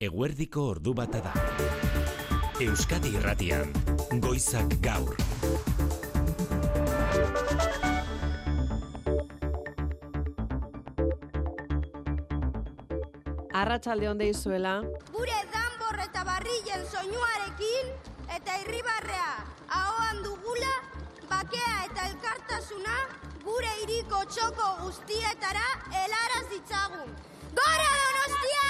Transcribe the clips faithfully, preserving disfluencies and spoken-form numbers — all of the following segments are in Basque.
Eguerdiko ordu bata da. Euskadi Irratian, Goizak Gaur. Arratsalde on deizuela. Gure danbor eta barrilen soinuarekin eta irribarrea ahoan dugula, bakea eta elkartasuna gure hiriko txoko guztietara helaraz ditzagun. Gora Donostia!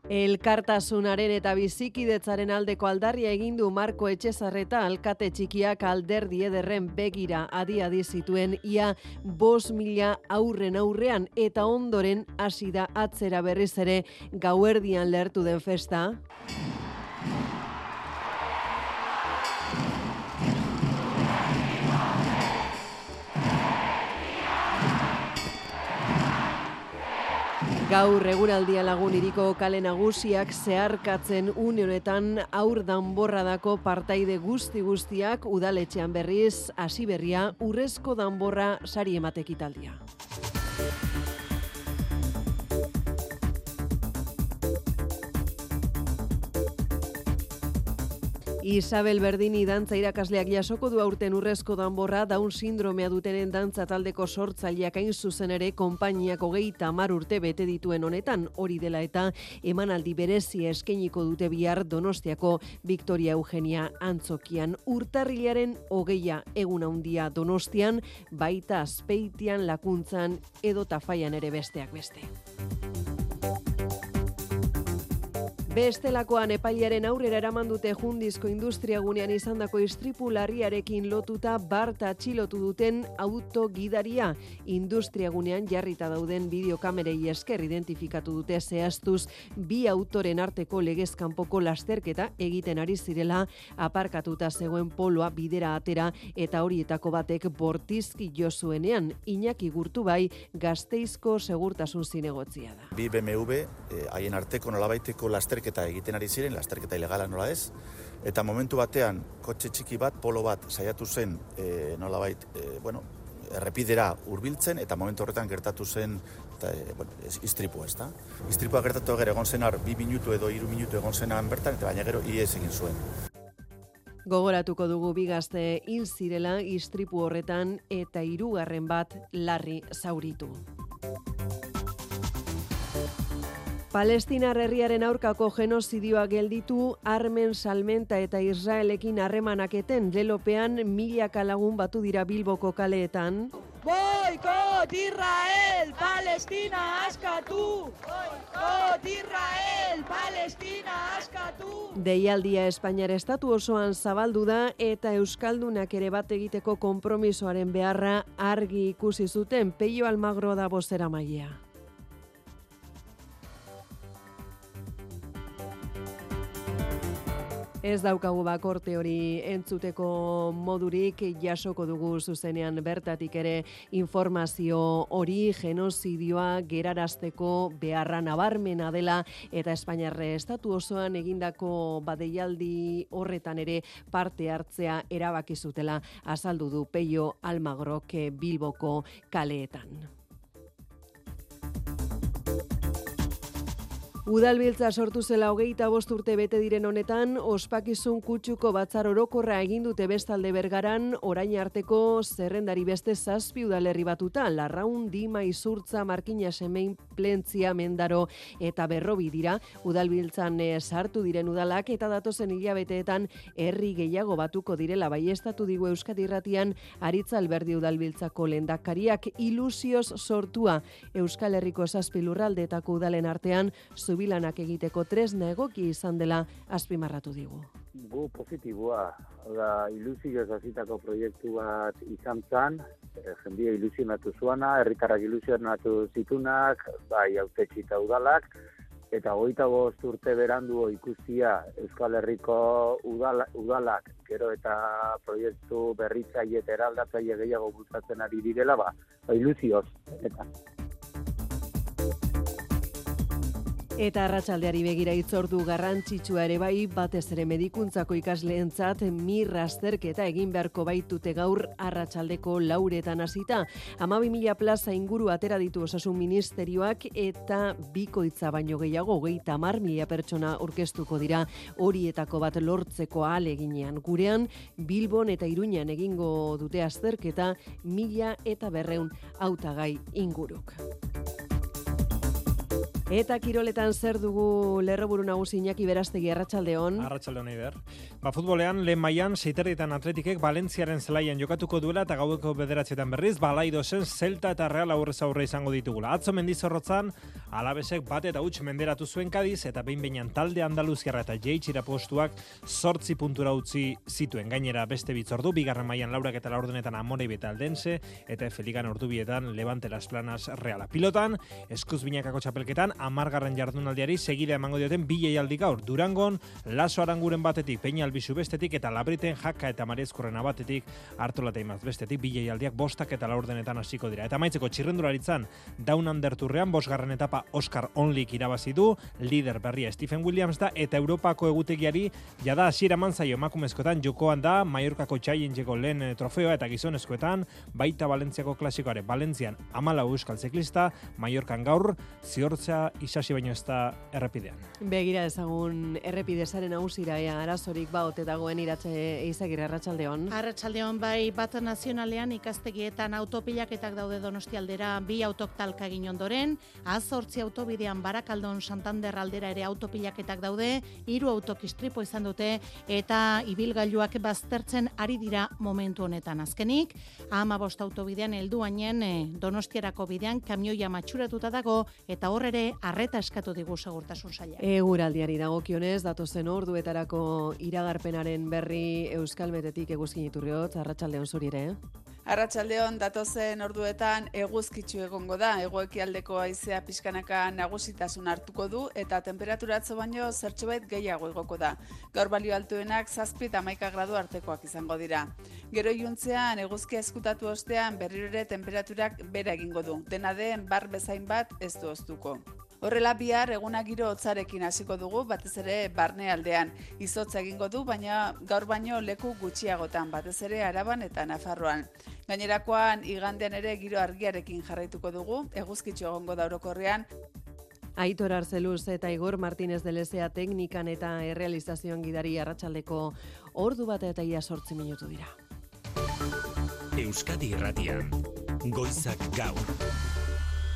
Elkartasunaren eta bizikidetzaren aldeko aldarria egin du Marko Etxezarreta alkate txikiak alderdi ederren begira adi-adi zituen ia bost mila aurren aurrean eta ondoren hasi da atzera berriz ere gauerdian lehertu den festa. Gaur eguraldia lagun hiriko kale nagusiak zeharkatzen une honetan aur danborradako partaide guzti guztiak udaletxean berriz hasi berria urrezko danborra sari emate ekitaldia. Isabel Berdini dantza irakasleak jasoko du aurten urrezko danborra Down sindromea dutenen dantza taldeko sortzaileak hain zuzen ere konpainiak hogeita hamar urte bete dituen honetan, hori dela eta emanaldi berezia eskainiko dute bihar Donostiako Victoria Eugenia antzokian. Urtarrilaren hogeia egun handia Donostian, baita Azpeitian, Lakuntzan edo Tafaian ere besteak beste. Bestelakoan epailearen aurrera eraman dute Jundizko industriagunean izandako istripu larriarekin lotuta bart atxilotu duten autogidaria. Industriagunean jarrita dauden bideokamerei esker identifikatu dute zehaztuz bi autoren arteko legez kanpoko lasterketa egiten ari zirela aparkatuta zegoen poloa bidera atera eta horietako batek bortizki jo zuenean. Iñaki Gurtubai Gasteizko segurtasun zinegotzia da. Bi B M W haien arteko nolabaiteko lasterketa eta egiten ari ziren, lasterketa ilegala nola ez, eta momentu batean kotxe txiki bat, polo bat saiatu zen e, nolabait, e, bueno, errepidera hurbiltzen eta momentu horretan gertatu zen eta, e, bueno, istripu ez da. Istripua gertatu gero egon zenar bi minutu edo hiru minutu egon zenan bertan, eta baina gero ihes egin zuen. Gogoratuko dugu bi gazte hil zirela istripu horretan eta hirugarren bat larri zauritu. Palestinar herriaren aurkako genozidioa gelditu, armen salmenta eta Israelekin harremanaketen lelopean milaka lagun batu dira Bilboko kaleetan. Boikot Israel, Palestina askatu! Boikot Israel, Palestina askatu! Deialdia Espainiar estatu osoan zabaldu da eta euskaldunak ere bat egiteko konpromisoaren beharra argi ikusi zuten. Peio Almagro da bozeramailea. Ez daukagu bakorte hori entzuteko modurik, jasoko dugu zuzenean bertatik ere informazio hori genozidioa gerarazteko beharra nabarmena dela eta Espainiarre estatu osoan egindako badeialdi horretan ere parte hartzea erabaki zutela azaldu du Peio Almagrok Bilboko kaleetan. Udalbiltza sortu zela hogeita bost urte bete diren honetan, ospakizun kutxuko batzar orokorra egin dute bestalde Bergaran, orain arteko zerrendari beste zazpi udalerri batuta, Larraun, Dima, Izurtza, Markina, Semein, Plentzia, Mendaro eta Berrobi dira, udalbiltzan sartu diren udalak eta datozen hilabeteetan herri gehiago batuko direla baiestatu digu Euskadi Irratian Aritza Alberdi udalbiltzako lehendakariak ilusioz sortua Euskal Herriko zazpi lurraldeetako udalen artean bilanak egiteko tresna egoki izan dela azpimarratu digu. Gu positiboa, da ilusioz hasitako proiektu bat izan zen, jendia ilusionatu zuana, herritarrak ilusionatu zitunak, bai hautetsi eta udalak, eta hogeita bost urte berandu ikustia Euskal Herriko udala, udalak, gero eta proiektu berritzaile eta eraldatzaile gehiago bultzatzen ari direla, ba, ilusioz, eta... Eta arratsaldeari begira hitzordu garrantzitsua ere bai, batez ere medikuntzako ikasleentzat mir azterketa egin beharko baitute gaur arratsaldeko lauretan hasita. hamabi mila plaza inguru atera ditu Osasun Ministerioak eta bikoitza baino gehiago hogeita hamar mila pertsona aurkeztuko dira horietako bat lortzeko ahaleginean. Gurean Bilbon eta Iruñan egingo dute azterketa mila eta berreun hautagai inguruk. Eta kiroletan zer dugu lerroburu nagusi Iñaki Berastegi, arratsaldeon. Arratsaldeon Eider. Ba, futbolean lehen mailan seiterritan Atletikek Valentziaren zelaian jokatuko duela eta gaueko bederatzietan berriz Balaidosen Celta eta Real aurrez aurre izango ditugula. Atzo Mendizorrotzan Alabesek bat eta huts menderatu zuen Kadiz eta behin-behinan talde Andaluziarra eta jeitsira postuak zortzi puntura utzi zituen. Gainera beste bitzordu, bigarren mailan Laurak eta Laurdenetan Amore beta Aldense eta Feligan ordubietan Levante Las Planas Reala. Pilotan, eskuz binakako txapelketan amargarren jardunaldiari segida emango dioten bi jaialdi gaur. Durangon, Laso Aranguren batetik, Peña Albizu bestetik eta Labriten Jaka eta Mariezkurrena batetik, Artola eta Imaz bestetik, bi jaialdiak bostak eta laurdenetan hasiko dira. Eta amaitzeko txirrendularitzan, Down Underturrean bosgarren etapa Oscar Onlik irabazi du, lider berria Stephen Williams da eta Europako egutegiari jada hasiera eman zaio emakumezkoetan jokoan da Mallorcako Challengeko lehen trofeoa eta gizonezkoetan baita Valentziako klasikoare. Valentzian hamalau euskal ziklista, Mallorcan gaur ziortzea isasi baino ez da errepidean. Begira ezagun errepidezaren nausira ea arazorik baote dagoen Iratxe Eizagirre, arratsaldeon. Arratsaldeon bai, bat nazionalean ikastegietan autopilaketak daude Donostialdera bi autok talka egin ondoren, azortzi autobidean Barakaldon Santander aldera ere autopilaketak daude, hiru autok istripo izan dute eta ibilgailuak baztertzen ari dira momentu honetan. Azkenik, hamabost autobidean helduainen Donostiarako bidean kamioia matxuratuta dago eta hor ere arreta eskatu digu segurtasun saila. Eguraldiari dagokionez, datozen orduetarako iragarpenaren berri Euskalmetetik Eguzkin Iturriotz, arratsaldeon zuri ere. Eh? Arratsaldeon datozen orduetan eguzkitsu egongo da, hegoekialdeko haizea pixkanaka nagusitasun hartuko du eta temperaturatzo baino zertxobait gehiago igoko da. Gaur balio altuenak zazpi eta hamaika gradu artekoak izango dira. Gero iluntzean eguzkia eskutatu ostean berriro ere temperaturak bera egingo du. Dena den bar bezain bat ez du oztuko. Horrela bihar eguna giro hotzarekin hasiko dugu, batez ere barne aldean. Izotza egingo du, baina gaur baino leku gutxiagotan, batez ere Araban eta Nafarroan. Gainerakoan igandean ere giro argiarekin jarraituko dugu, eguzkitsu egongo da orokorrean. Aitor Arzeluz eta Igor Martínez de Lezea teknikan eta errealizazioan gidari arratsaldeko ordu bat eta ia sortzi minutu dira. Euskadi Irratian, Goizak Gaur.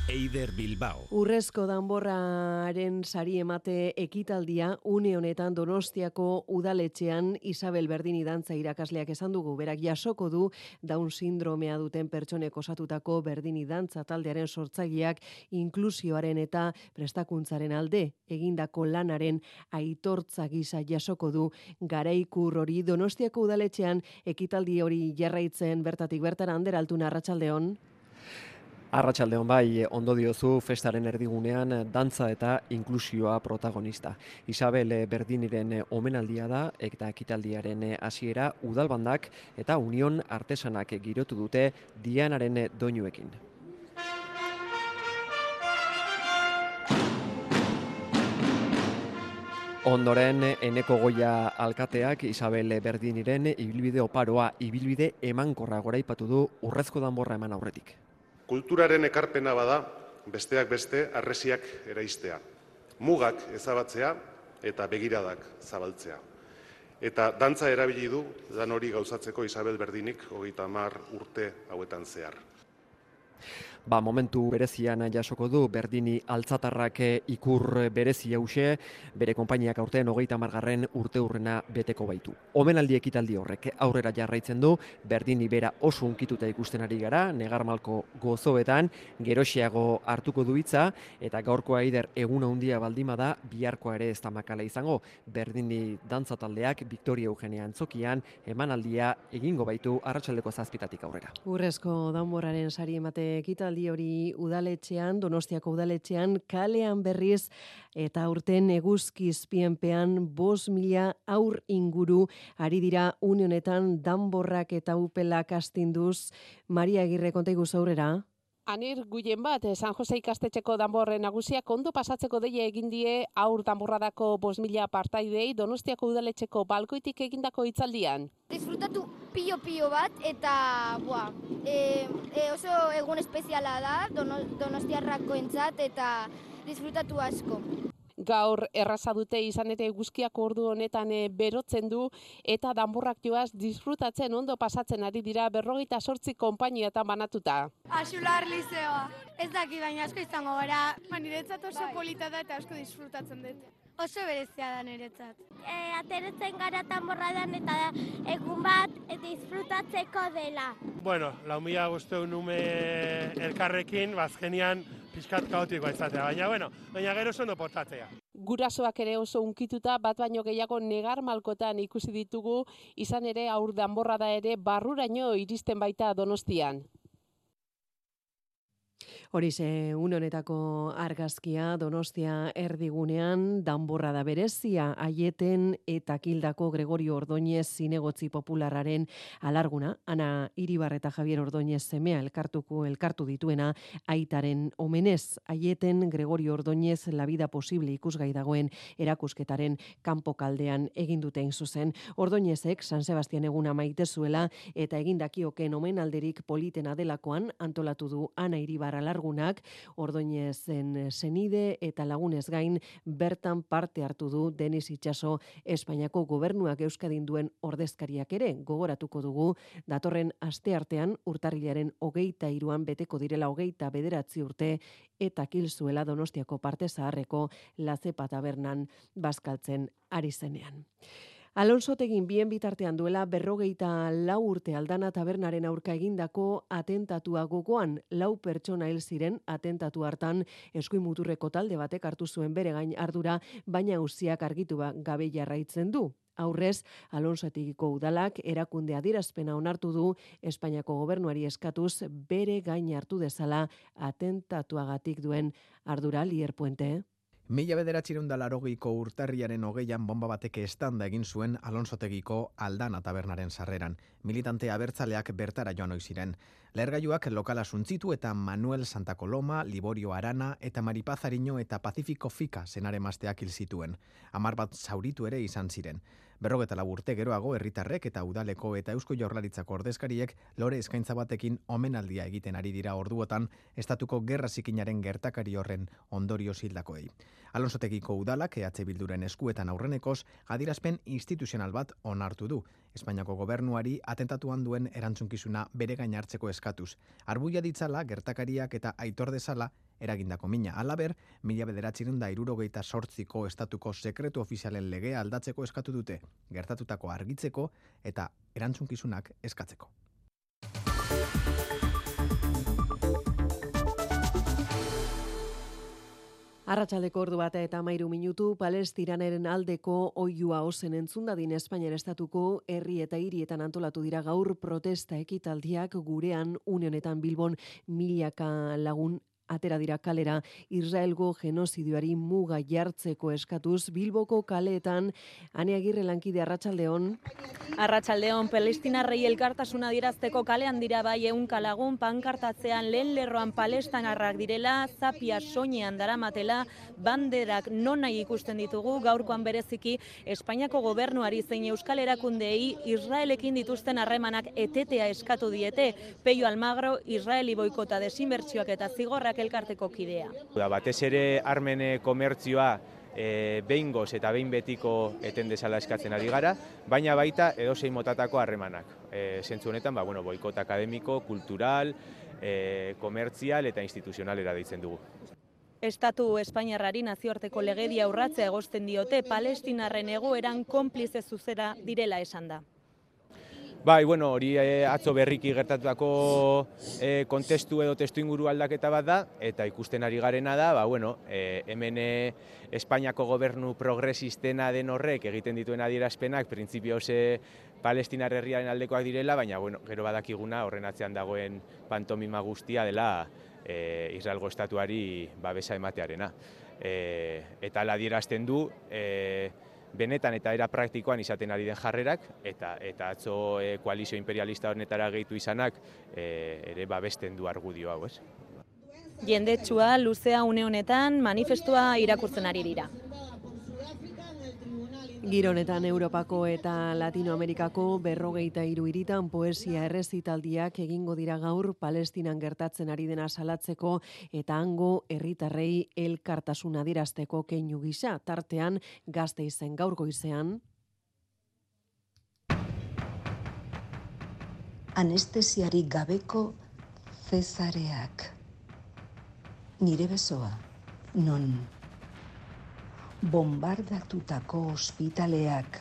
Eider Bilbao. Urrezko danborraren sari emate ekitaldia une honetan Donostiako udaletxean Isabel Berdini dantza irakasleak esan dugu. Berak jasoko du Down sindromea duten pertsonek osatutako Berdini dantza taldearen sortzaileak inklusioaren eta prestakuntzaren alde egindako lanaren aitortza gisa jasoko du garaikur hori. Donostiako udaletxean ekitaldi hori jarraitzen bertatik bertara Ander Altuna, arratsaldeon. Arratsaldeon bai, ondo diozu festaren erdigunean dantza eta inklusioa protagonista. Isabel Berdiniren omenaldia da eta ekitaldiaren hasiera udalbandak eta Union Artesanak girotu dute Dianaren doinuekin. Ondoren, Eneko Goia alkateak Isabel Berdiniren ibilbide oparoa, ibilbide emankorra goraipatu du urrezko danborra eman aurretik. Kulturaren ekarpena bada, besteak beste, harresiak eraistea. Mugak ezabatzea eta begiradak zabaltzea. Eta dantza erabili du, dan hori gauzatzeko Isabel Berdinik hogeita hamar urte hauetan zehar. Ba, momentu berezian jasoko du Berdini altzatarrak ikur berezi hause, bere konpainiak aurten hogeita hamargarren urte urrena beteko baitu. Omenaldi ekitaldi horrek aurrera jarraitzen du, Berdini bera oso unkituta ikusten ari gara, negarmalko gozoetan, geroxeago hartuko du hitza, eta gaurkoa Eider eguna handia baldima da, biharkoa ere ez da makala izango. Berdini dantza taldeak Victoria Eugenia Antzokian emanaldia egingo baitu arratsaldeko zazpitatik aurrera. Urrezko danborraren sari emate ekitaldi hori udaletxean, Donostiako udaletxean, kalean berriz eta aurten eguzki izpienpean bost mila aur inguru ari dira une honetan danborrak eta upelak astinduz. Maria Agirre, konta iguzu aurrera. Anir guien bat, San Jose ikastetxeko danborre nagusiak ondo pasatzeko deia egin die aur danborradako bost mila partaidei Donostiako udaletxeko balkoitik egindako hitzaldian. Disfrutatu pilo-pilo bat eta buah, e, e oso egun espeziala da dono, donostiarrakoentzat eta disfrutatu asko. Gaur erraza dute izan ere eguzkiak ordu honetan e, berotzen du eta danborrak joaz disfrutatzen ondo pasatzen ari dira berrogeita zortzi konpainiatan banatuta. Axular lizeoa. Ez daki baina asko izango gara. Ba, niretzat oso polita da eta asko disfrutatzen dut. Oso berezia da niretzat. E, ateretzen gara danborradan eta egun bat disfrutatzeko dela. Bueno, lau mila guzteu nume elkarrekin, bazkenian pixkat kaotikoa izatea, baina, bueno, baina gero ondo portatzea. Gurasoak ere oso unkituta bat baino gehiago negar malkotan ikusi ditugu, izan ere aur danborrada ere barruraino iristen baita Donostian. Horixe, une honetako argazkia Donostia erdigunean danborrada berezia Aieten eta Kildako Gregorio Ordóñez zinegotzi popularraren alarguna. Ana Iribar eta Javier Ordóñez semea elkartuko elkartu dituena aitaren omenez. Aieten Gregorio Ordóñez La vida posible ikusgai dagoen erakusketaren kanpokaldean egin duten zuzen. Ordóñezek San Sebastian eguna maite zuela eta egindakioken omenalderik politena delakoan antolatu du Ana Iribar alarguna. Ordóñezen senide eta lagunez gain bertan parte hartu du Denis Itxaso Espainiako gobernuak Euskadin duen ordezkariak ere gogoratuko dugu datorren asteartean urtarrilaren hogeita hiruan beteko direla hogeita bederatzi urte eta kil zuela Donostiako parte zaharreko Lazepa tabernan bazkaltzen ari zenean. Alonso Tegin bien bitartean duela berrogeita lau urte Aldana tabernaren aurka egindako atentatua gogoan lau pertsona hil ziren atentatu hartan eskuin muturreko talde batek hartu zuen bere gain ardura, baina auziak argitu gabe jarraitzen du. Aurrez, Alonso Tegiko udalak erakunde adierazpena onartu du Espainiako gobernuari eskatuz bere gain hartu dezala atentatuagatik duen ardura. Lier Puente. Mila bederatzireun da larogeiko urtarriaren hogeian bomba bateke estanda egin zuen Alonso Tegiko Aldana tabernaren sarreran. Militante abertzaleak bertara joan ohi ziren. Lehergailuak lokala suntzitu eta Manuel Santa Coloma, Liborio Arana eta Maripaz Ariño eta Pacífico Fika senaremazteak hil zituen. Hamar bat zauritu ere izan ziren. Berrogeta lau urte geroago herritarrek eta udaleko eta Eusko Jaurlaritzako ordezkariek lore eskaintza batekin omenaldia egiten ari dira orduotan estatuko gerra zikinaren gertakari horren ondorioz hildakoei. Alonso Tegiko udalak E H Bilduren eskuetan aurrenekoz adierazpen instituzional bat onartu du. Espainiako gobernuari atentatuan duen erantzunkizuna bere gain hartzeko eskatuz. Arbuia ditzala gertakariak eta aitor dezala eragindako mina. Halaber, mila bederatzireun da hirurogeita zortziko estatuko sekretu ofizialen legea aldatzeko eskatu dute, gertatutako argitzeko eta erantzunkizunak eskatzeko. Arratsaldeko ordu bata eta hamairu minutu Palestinaren aldeko oihua ozen entzundadin Espainiar estatuko herri eta hirietan antolatu dira gaur protesta ekitaldiak gurean une honetan Bilbon milaka lagun atera dira kalera Israelgo genozidioari muga jartzeko eskatuz Bilboko kaleetan. Ane Agirre lankide, arratsaldeon. Arratsaldeon, Palestinarrei elkartasuna adierazteko kalean dira bai ehunka lagun pankartatzean lehen lerroan palestinarrak direla, zapia soinean daramatela, banderak nonahi ikusten ditugu, gaurkoan bereziki Espainiako gobernuari zein euskal erakundeei Israelekin dituzten harremanak etetea eskatu diete. Peio Almagro, Israeli boikota desinbertsioak eta zigorrak elkarteko kidea. Batez ere armen komertzioa e, behingoz eta behin betiko eten dezala eskatzen ari gara, baina baita edozein motatako harremanak. E, zentzu honetan, ba, bueno, boikot akademiko, kultural, e, komertzial eta instituzionalera deitzen dugu. Estatu Espainiarrari nazioarteko legedia urratzea egozten diote, Palestinarren egoeran konplize zuzera direla esan da. Bai, bueno, hori e, atzo berriki gertatutako e, kontestu edo testu inguru aldaketa bat da, eta ikusten ari garena da, ba, bueno, e, hemen e, Espainiako gobernu progresistena den horrek egiten dituen adierazpenak, printzipioz e, Palestinar herriaren aldekoak direla, baina, bueno, gero badakiguna horren atzean dagoen pantomima guztia dela e, Israelgo estatuari babesa ematearena. E, eta ala adierazten du, e, benetan eta era praktikoan izaten ari den jarrerak, eta eta atzo e, koalizio imperialista honetara gehitu izanak e, ere babesten du argudio hau, ez? Jendetsua luzea une honetan manifestua irakurtzen ari dira. Gironetan Europako eta Latinoamerikako berrogeita hiru hiritan poesia errezitaldiak egingo dira gaur Palestinan gertatzen ari dena salatzeko eta hango herritarrei elkartasuna adierazteko keinu gisa. Tartean Gasteizen gaur goizean anestesiarik gabeko Zesareak. Nire besoa, non bombardatutako ospitaleak,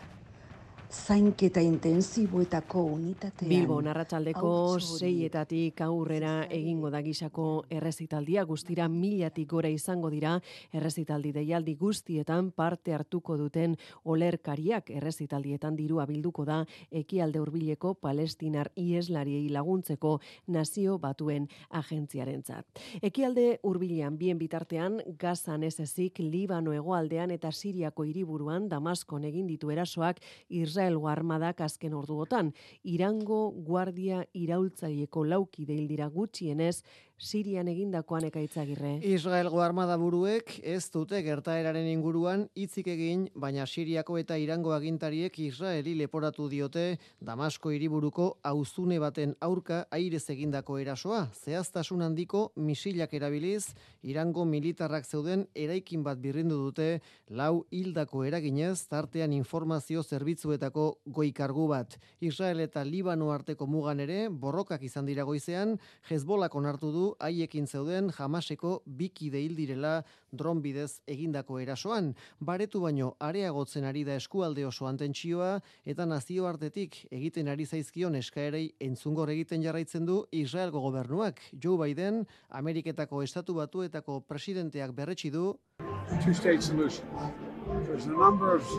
zainketa intensiboetako unitatean. Bilbon arratsaldeko seietatik aurrera egingo da gisako errezitaldia, guztira milatik gora izango dira errezitaldi deialdi guztietan parte hartuko duten olerkariak. Errezitaldietan dirua bilduko da ekialde hurbileko palestinar ieslariei laguntzeko Nazio Batuen agentziarentzat. Ekialde hurbilean bien bitartean Gazan ez ezik Libano hegoaldean eta Siriako hiriburuan Damaskon egin ditu erasoak Israelgo armadak azken orduotan. Irango guardia iraultzaieko laukide hil dira gutxienez Sirian egindakoan Ekaitzagirre. Israelgo armada buruek ez dute gertaeraren inguruan hitzik egin, baina Siriako eta Irango agintariek Israeli leporatu diote Damasko hiriburuko auzune baten aurka airez egindako erasoa. Zehaztasun handiko misilak erabiliz, Irango militarrak zeuden eraikin bat birrindu dute lau hildako eraginez, tartean informazio zerbitzuetako goi-kargu bat. Israel eta Libano arteko mugan ere borrokak izan dira goizean, Hezbolak onartu du haiekin zeuden Hamaseko bikide hil direla dron bidez egindako erasoan. Baretu baino areagotzen ari da eskualde osoan tentsioa eta nazioartetik egiten ari zaizkion eskaerei entzungor egiten jarraitzen du Israelgo gobernuak. Joe Biden, Ameriketako Estatu Batuetako presidenteak berretsi du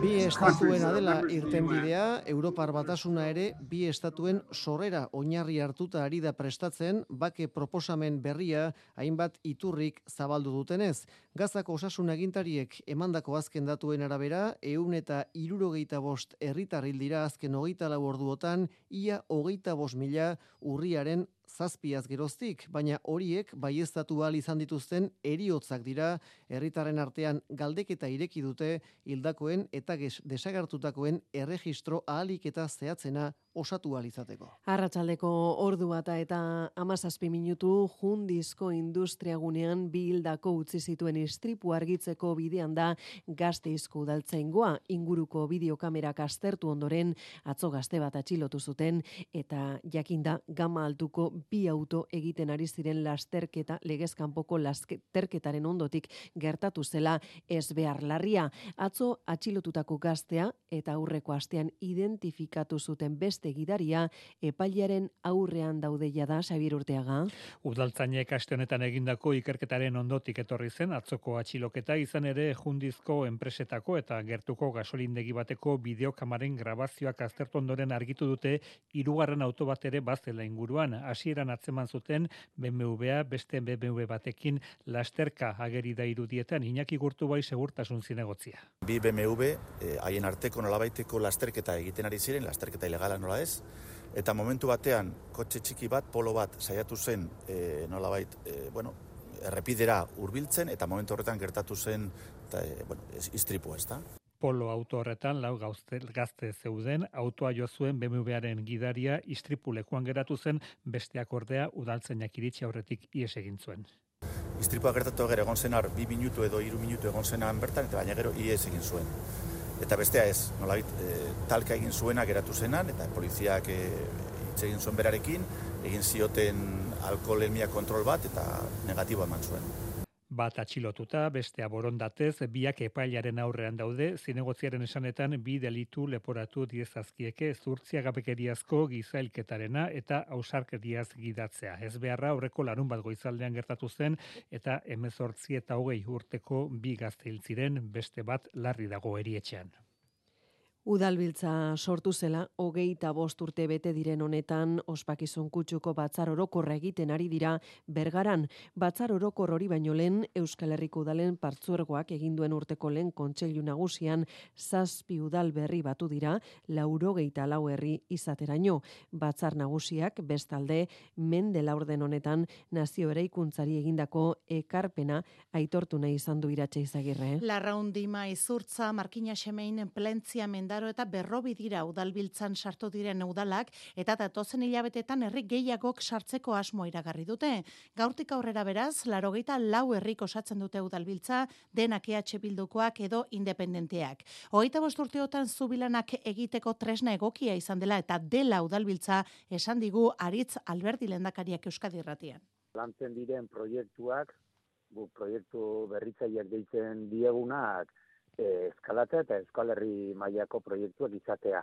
bi estatuena dela irtenbidea, Europar Batasuna ere bi estatuen sorrera oinarri hartuta ari da prestatzen, bake proposamen berria hainbat iturrik zabaldu dutenez. Gazako osasun agintariek emandako azken datuen arabera, ehun eta hirurogeita bost herritar hil dira azken hogeita lau orduotan, ia hogeita bost mila urriaren zazpiaz geroztik, baina horiek baieztatu ahal izan dituzten heriotzak dira, herritarren artean galdeketa ireki dute hildakoen eta desagertutakoen erregistro ahalik eta zehatzena osatu ahal izateko. Arratsaldeko ordu bata eta hamazazpi minutu Jundizko industriagunean bi hildako utzi zituen istripu argitzeko bidean da Gasteizko udaltzaingoa. Inguruko bideokamerak aztertu ondoren atzo gazte bat atxilotu zuten eta jakinda gama altuko bi auto egiten ari ziren lasterketa, legezkanpoko lasterketaren ondotik gertatu zela ez behar larria. Atzo atxilotutako gaztea eta aurreko astean identifikatu zuten beste gidaria epailearen aurrean daude jada. Xabier Urteaga. Udaltzainek aste honetan egindako ikerketaren ondotik etorri zen atzoko atxiloketa, izan ere Jundizko enpresetako eta gertuko gasolindegi bateko bideokamaren grabazioak aztertu ondoren argitu dute hirugarren auto bat ere bazela inguruan. Hasieran atzeman zuten B M W beste B M W batekin lasterka ageri da irudietan. Iñaki Gurtubai segurtasun zinegotzia. Bi B M W haien arteko nolabaiteko lasterketa egiten ari ziren, lasterketa ilegala nola ez, eta momentu batean kotxe txiki bat, polo bat saiatu zen e, nolabait, e, bueno, errepidera hurbiltzen eta momentu horretan gertatu zen eta, e, bueno, istripu ez da. Polo auto horretan lau gazte, gazte zeuden, autoa jo zuen B M Waren gidaria istripu lekuan geratu zen, besteak ordea udaltzainak iritsi aurretik ihes egin zuen. Istripua gertatu gero egon zenar bi minutu edo hiru minutu egon zenan bertan, eta baina gero ihes egin zuen. Eta bestea ez, nolabait, e, talka egin zuena geratu zenan, eta poliziak e, hitz egin zuen berarekin, egin zioten alkoholemia kontrol bat, eta negatibo eman zuen. Bat atxilotuta, bestea borondatez, biak epailaren aurrean daude, zinegotziaren esanetan bi delitu leporatu diezazkieke zurtziagabekeriazko gizailketarena eta ausarkeriaz gidatzea. Ez beharra aurreko larun bat goizaldean gertatu zen eta hemezortzi eta hogei urteko bi gazte hil ziren, beste bat larri dago erietxean. Udalbiltza sortu zela, hogeita bost urte bete diren honetan, ospakizun kutxuko batzar orokorra egiten ari dira Bergaran. Batzar orokor hori baino lehen, Euskal Herriko udalen partzuergoak egin duen urteko lehen kontseilu nagusian zazpi udal berri batu dira, laurogeita lau herri izateraino. Batzar nagusiak, bestalde, mende laurden honetan, nazio eraikuntzari egindako ekarpena aitortu nahi izan du Iratxe Izagirre. Larraundima Izurtza, Markina Xemein, Plentzia Mendaro eta Berrobi dira udalbiltzan sartu diren udalak eta datozen hilabetetan herri gehiagok sartzeko asmo iragarri dute. Gaurtik aurrera beraz, laurogeita lau herrik osatzen dute udalbiltza, denak E H Bildukoak edo independenteak. Hogeita bost urteotan zubilanak egiteko tresna egokia izan dela eta dela udalbiltza esan digu Aritz Alberdi lehendakariak Euskadi Irratian. Lantzen diren proiektuak, bu proiektu berritzaileak deitzen diegunak, eh, eskalatzea eta Euskal Herri mailako proiektuak izatea.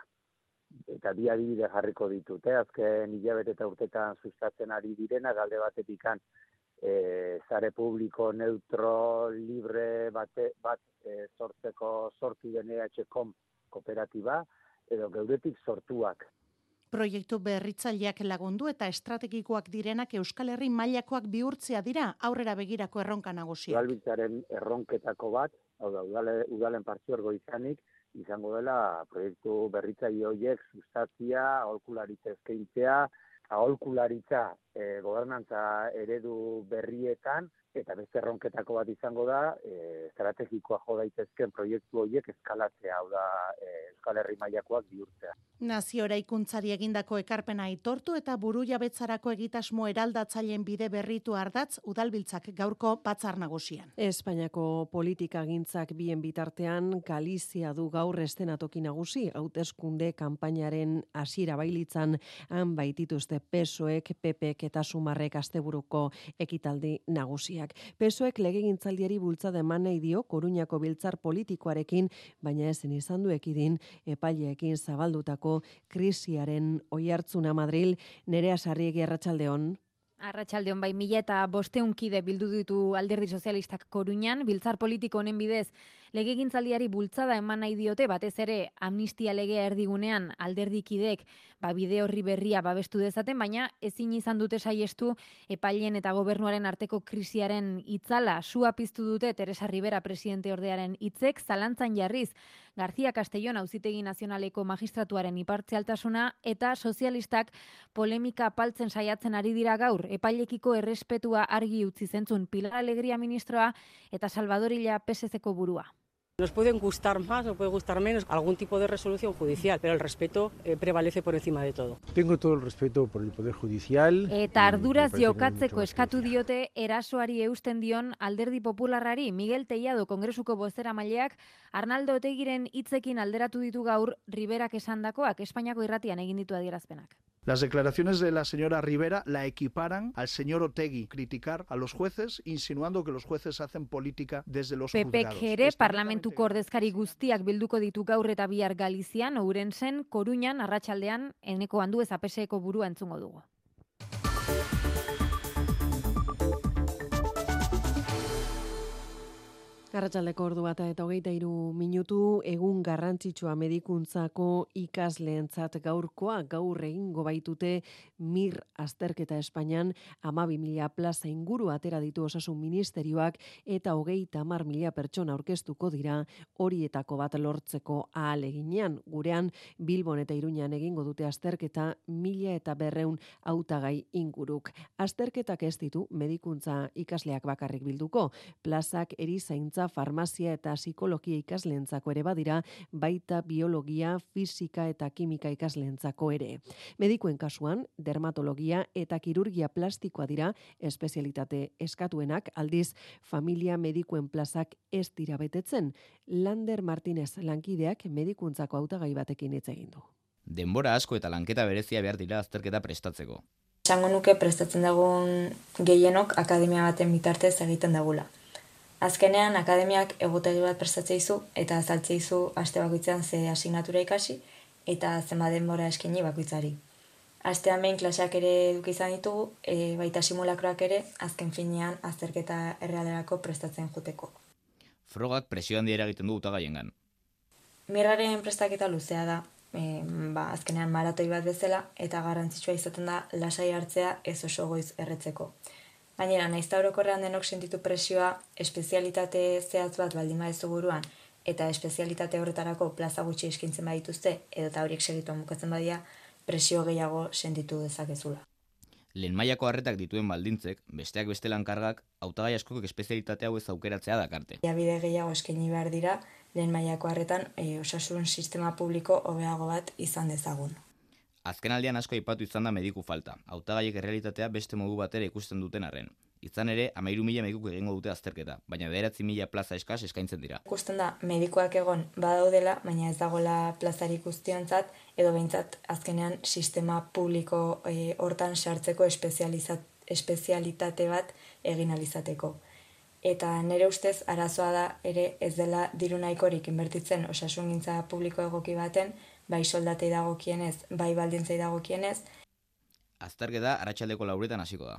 Eta bi adibide jarriko ditut, eh? Azken hilabete eta urtetan sustatzen ari direna, alde batetikan eh, zare publiko neutro, libre bate, bat eh, sortzeko sortu den E H com kooperatiba, edo geuretik sortuak. Proiektu berritzaileak lagundu eta estrategikoak direnak Euskal Herri mailakoak bihurtzea dira aurrera begirako erronka nagusia. Udalbiltzaren erronketako bat, hau da, udale, udalen partzuergo izanik, izango dela proiektu berritzaile horiek sustatzia, aholkularitza eskaintzea, aholkularitza e, gobernantza eredu berrietan, eta beste erronketako bat izango da, e, estrategikoa jo daitezken proiektu horiek eskalatzea, hau da, e, Euskal Herri mailakoak bihurtzea. Nazio eraikuntzari egindako ekarpena aitortu eta burujabetzarako egitasmo eraldatzaileen bide berritu ardatz udalbiltzak gaurko batzar nagusian. Espainiako politikagintzak bien bitartean Galizia du gaur estenatoki nagusi, hauteskunde kanpainaren hasiera bailitzan han baitituzte P S O ek, P P ek eta Sumarrek asteburuko ekitaldi nagusiak. P S O ek legegintzaldiari bultzada eman nahi dio Koruñako biltzar politikoarekin, baina ezin izan du ekidin epaileekin zabaldutako krisiaren oihartzuna Madril. Nerea Sarriegi, arratsaldeon. Arratsaldeon, bai, mila eta bosteun kide bildu ditu Alderdi Sozialistak Koruñan, biltzar politiko honen bidez legegintzaldiari bultzada eman nahi diote, batez ere amnistia legea erdigunean alderdikideek ba, bide horri berria babestu dezaten, baina ezin izan dute saiestu epaileen eta gobernuaren arteko krisiaren itzala. Sua piztu dute Teresa Rivera presidente ordearen hitzek, zalantzan jarriz García Castellón Auzitegi Nazionaleko magistratuaren ipartzialtasuna eta sozialistak polemika apaltzen saiatzen ari dira gaur. Epailekiko errespetua argi utzi zentzun Pilar Alegría ministroa eta Salvador Illa P S Eko burua. Nos pueden gustar más o puede gustar menos algún tipo de resolución judicial, pero el respeto eh, prevalece por encima de todo. Tengo todo el respeto por el Poder Judicial. Eta arduraz jokatzeko eskatu diote erasoari eusten dion Alderdi Popularrari. Miguel Tellado Kongresuko bozeramaileak Arnaldo Otegiren hitzekin alderatu ditu gaur Riberak esandakoak, Espainiako irratian egin ditu adierazpenak. Las declaraciones de la señora Rivera la equiparan al señor Otegi, criticar a los jueces, insinuando que los jueces hacen política desde los P P ek juzgados. ere parlamentuko ordezkari guztiak bilduko ditu gaur eta bihar Galizian, Ourensen, Koruñan, arratsaldean Eneko Andueza P S Eko burua entzungo dugu. Arratsaldeko ordu bata eta hogeita hiru minutu, egun garrantzitsua medikuntzako ikasleentzat gaurkoa, gaur egingo baitute MIR azterketa Espainian, hamabi mila plaza inguru atera ditu Osasun Ministerioak eta hogeita hamar mila pertsona aurkeztuko dira horietako bat lortzeko ahaleginean. Gurean Bilbon eta Iruñan egingo dute azterketa mila eta berreun hautagai inguruk. Azterketak ez ditu medikuntza ikasleak bakarrik bilduko, plazak erizaintza, farmazia eta psikologia ikasleentzako ere badira, baita biologia, fisika eta kimika ikasleentzako ere. Medikuen kasuan, dermatologia eta kirurgia plastikoa dira espezialitate eskatuenak, aldiz familia medikuen plazak ez dira betetzen. Lander Martínez lankideak medikuntzako hautagai batekin hitz egin du. Denbora asko eta lanketa berezia behar dira azterketa prestatzeko. Esango nuke prestatzen dagoen gehienok akademia baten bitartez egiten dagula. Azkenean, akademiak egutegi bat prestatzea izu eta azaltzea izu aste bakoitzean ze asignatura ikasi eta zenbat denbora eskaini bakoitzari. Astean behin klaseak ere eduki izan ditugu, e, baita simulakroak ere, azken finean azterketa errealerako prestatzen joteko. Frogak presio handia eragiten du hautagaiengan. Mirraren prestaketa luzea da, e, ba, azkenean maratoi bat bezala, eta garrantzitsua izaten da lasai hartzea ez oso goiz erretzeko. Gainera, naizta orokorrean denok sentitu presioa, espezialitate zehatz bat baldin badezu buruan, eta espezialitate horretarako plaza gutxi eskaintzen badituzte, edo eta horiek segituan bukatzen badia, presio gehiago sentitu dezakezula. Lehen mailako harretak dituen baldintzek, besteak beste lankargak, hautagai askok espezialitate hau ez aukeratzea dakarte. Bide gehiago eskaini behar dira, lehen mailako harretan e, osasun sistema publiko hobeago bat izan dezagun. Azken aldean asko aipatu izan da mediku falta, hautagaiek errealitatea beste modu batera ikusten duten arren. Izan ere, hamairu mila medikuk egingo dute azterketa, baina bederatzi mila plaza eskas eskaintzen dira. Ikusten da, medikuak egon badaudela, baina ez dagoela plazarik guztiontzat, edo behintzat azkenean sistema publiko e, hortan sartzeko espezialitate bat egin alizateko. Eta nire ustez, arazoa da ere ez dela diru nahikorik inbertitzen osasungintza publiko egoki baten, bai soldatei dagokienez, bai baldintzei dagokienez. Azterketa arratsaldeko lauretan hasiko da.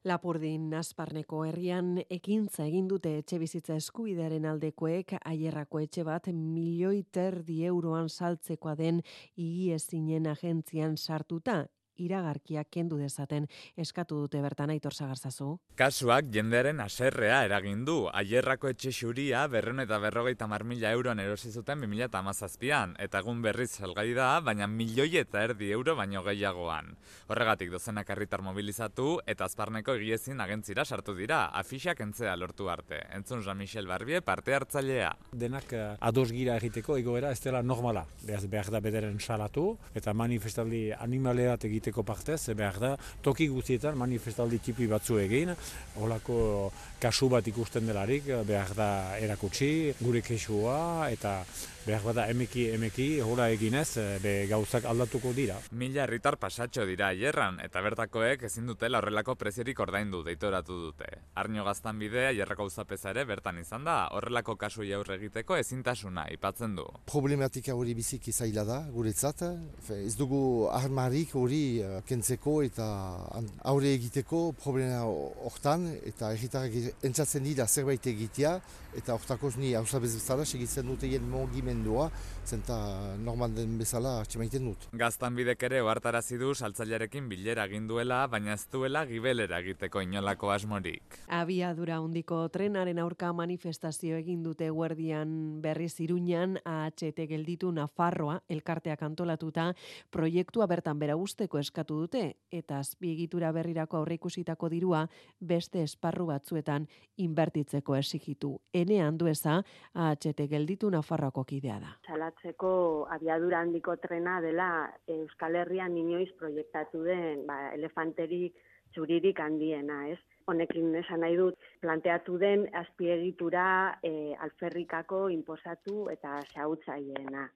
Lapurdin Asparneko herrian ekintza egin dute etxebizitza eskubidearen aldekoek Aierrako etxe bat milioi terdi euroan saltzekoa den higiezinen agentzian sartuta. Iragarkiak kendu dezaten eskatu dute bertan Aitor Sagarzazu. Kasuak jendearen haserrea eragin du. Aierrako etxe xuria berrehun eta berrogeita hamar mila euroan erosi zuten bi mila hamazazpian, eta egun berriz salgai da, baina milioi eta erdi euro baino gehiagoan. Horregatik dozenak herritar mobilizatu eta Asparneko egiezin agentzira sartu dira, afixak entzea lortu arte. Entzun Jean-Michel Barbie parte hartzailea. Denak ados gira egiteko egoera ez dela normala. Behaz behar da bederen salatu eta manifestaldi animaleat egiteko egiteko partez, behar da, toki guztietan manifestaldi tipi batzu egin, holako kasu bat ikusten delarik, behar da erakutsi, gure kesua, eta behar da emeki emeki hola eginez, be gauzak aldatuko dira. Mila herritar pasatxo dira Aierran, eta bertakoek ezin dutela horrelako preziorik ordaindu deitoratu dute. Arño Gaztanbide Aierrako auzapeza ere bertan izan da, horrelako kasu aurre egiteko ezintasuna aipatzen du. Problematika hori biziki zaila da, guretzat, ez dugu armarik hori kentzeko eta aurre egiteko problema hortan, eta herritarrak entzatzen dira zerbait egitea, eta hortakoz ni hausabez bezala segitzen dute jen mogimendua, zenta normal den bezala atxemaiten dut. Gaztanbidek ere ohartarazi du saltzailearekin bilera egin duela, baina ez duela gibelera egiteko inolako asmorik. Abiadura handiko trenaren aurka manifestazio egin dute Guardian berriz Iruñan, A H T gelditu Nafarroa elkarteak antolatuta proiektua bertan bera usteko eskatu dute, eta azpiegitura berrirako aurreikusitako dirua beste esparru batzuetan inbertitzeko exigitu. Ene Andueza, A H T gelditu Nafarroako kidea da. Salatzeko abiadura handiko trena dela Euskal Herrian inoiz proiektatu den ba, elefanterik txuririk handiena, ez? Honekin esan nahi dut, planteatu den azpiegitura e, alferrikako inposatu eta xahutzaileena.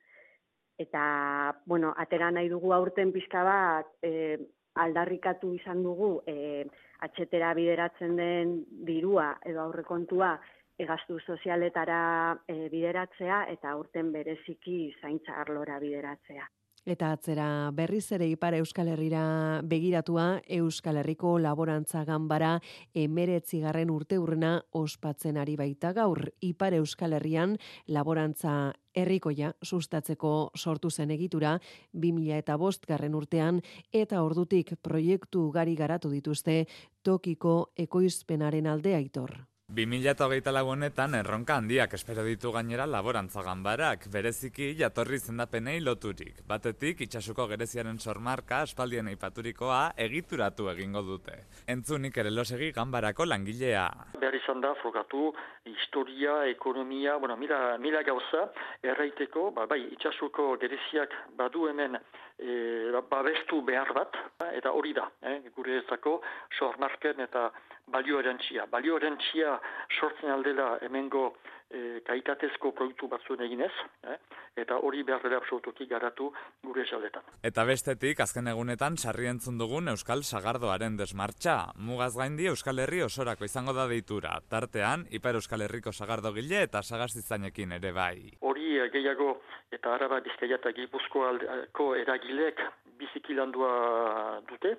Eta, bueno, atera nahi dugu aurten pixka bat, e, aldarrikatu izan dugu, e, atxetera bideratzen den dirua edo aurrekontua gastu sozialetara e, bideratzea eta aurten bereziki zaintza arlora bideratzea. Eta atzera berriz ere Ipar Euskal Herrira begiratua Euskal Herriko Laborantza Ganbara emeretzigarren urteurrena ospatzen ari baita gaur. Ipar Euskal Herrian laborantza herrikoia sustatzeko sortu zen egitura bi mila bostgarren urtean eta ordutik proiektu ugari garatu dituzte tokiko ekoizpenaren alde Aitor. bi mila hogeita lau honetan erronka handiak espero ditu gainera laborantza ganbarak, bereziki jatorri izendapenei loturik. Batetik, itxasuko gereziaren sormarka aspaldien aipaturikoa egituratu egingo dute. Entzunik ere losegi ganbarako langilea. Behar izan da, frogatu, historia, ekonomia, bueno, mila, mila gauza, erraiteko, ba, bai, itxasuko gereziak badu hemen e, babestu behar bat, eta hori da, eh, gure ezako sormarken eta balio erantzia. Balio erantzia sortzen aldela hemengo e, kaitatezko produktu batzuen eginez, eh? Eta hori behar dela absolutuki garatu gure esaletan. Eta bestetik, azken egunetan sarri entzun dugun Euskal Sagardoaren desmartxa. Mugaz gaindi Euskal Herri osorako izango da deitura. Tartean, Ipar Euskal Herriko sagardogile eta sagastizainekin ere bai. Hori gehiago eta Araba, Bizkaia eta Gipuzkoako eragilek biziki landua dute,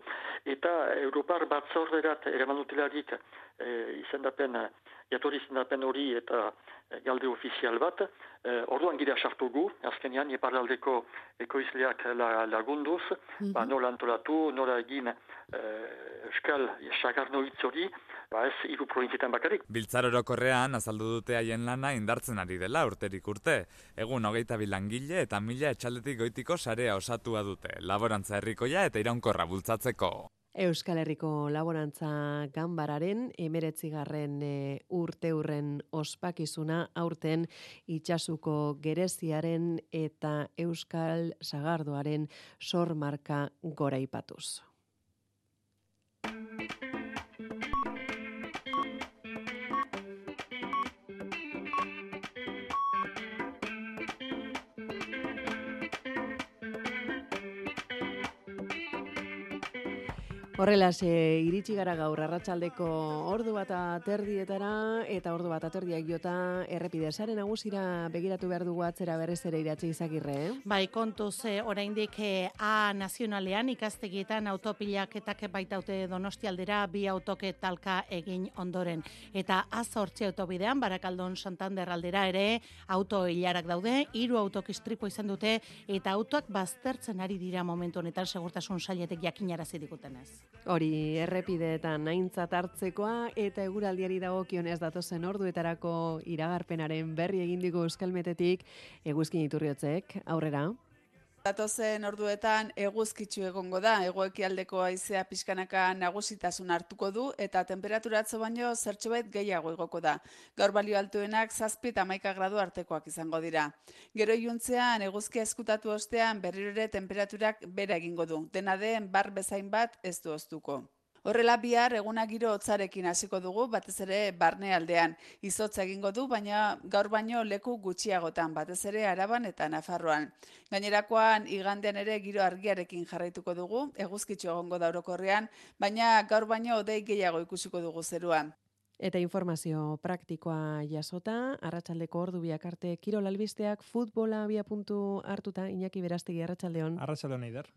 eta Europar batzorderat eraman dutelarik e, izendapen jatorri izendapen hori eta galde ofizial bat, eh, orduan gira sartu gu, azkenean iparraldeko ekoizleak lagunduz, mm-hmm. ba, nola antolatu, nola egin eh, euskal sagarno hitz hori, ba ez hiru probintzietan bakarrik. Biltzar orokorrean azaldu dute haien lana indartzen ari dela urterik urte. Egun hogeita bi langile eta mila etxaldetik goitiko sarea osatua dute, laborantza herrikoia eta iraunkorra bultzatzeko. Euskal Herriko Laborantza Ganbararen emeretzigarren e, urte hurren ospakizuna aurten Itsasuko Gereziaren eta Euskal Sagardoaren sormarka goraipatuz. Horrelaz, e, iritsi gara gaur arratsaldeko ordu bat aterdietara eta ordu bat aterdiak jota errepide sare nagusira begiratu behar dugu atzera berriz ere Iratxe Izagirre, eh? Bai, kontuz e, oraindik e, A nazionalean ikastegietan autopilaketak baitaute Donostialdera bi autoke talka egin ondoren. Eta A zortzi autobidean Barakaldon Santander aldera ere auto hilarak daude, hiru autok istripu izan dute eta autoak baztertzen ari dira momentu honetan segurtasun sailetek jakinarazi digutenez. Hori errepideetan aintzat hartzekoa eta eguraldiari dagokionez datozen orduetarako iragarpenaren berri egin digu Euskalmetetik Eguzkin Iturriotzek. Aurrera. Datozen orduetan eguzkitsu egongo da, hego-ekialdeko haizea pixkanaka nagusitasun hartuko du eta temperaturatzo baino zertxobait gehiago igoko da. Gaur balio altuenak zazpi eta hamaika gradu artekoak izango dira. Gero iluntzean eguzkia eskutatu ostean berriro ere temperaturak bera egingo du. Dena den bar bezain bat ez du oztuko. Horrela bihar eguna giro hotzarekin hasiko dugu, batez ere barne aldean. Izotza egingo du, baina gaur baino leku gutxiagotan, batez ere Araban eta Nafarroan. Gainerakoan igandean ere giro argiarekin jarraituko dugu, eguzkitxo egongo da orokorrean, baina gaur baino hodei gehiago ikusiko dugu zeruan. Eta informazio praktikoa jasota, arratsaldeko ordu biak arte kirol albisteak futbola abia puntu hartuta, Iñaki Berastegi, arratsaldeon. Arratsaldeon, Eider.